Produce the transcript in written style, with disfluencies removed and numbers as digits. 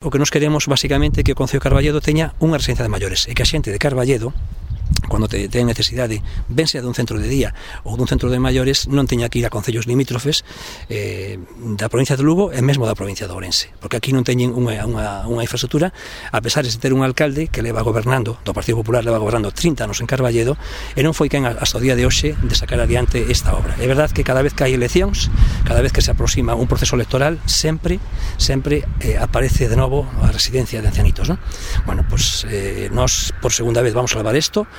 O que nos queremos, basicamente, é que o Concello de Carballedo teña unha residencia de maiores e que a xente de Carballedo, cando ten necesidade, ben sea dun centro de día ou dun centro de maiores, non teña que ir a concellos limítrofes da provincia de Lugo e mesmo da provincia de Ourense, porque aquí non teñen unha infraestructura, a pesar de ter un alcalde que leva gobernando, do Partido Popular, leva gobernando 30 anos en Carballedo, e non foi quen hasta o día de hoxe de sacar adiante esta obra. É verdad que cada vez que hai eleccións, cada vez que se aproxima un proceso electoral, sempre aparece de novo a residencia de ancianitos, ¿no? Bueno, pues nós por segunda vez vamos a salvar isto.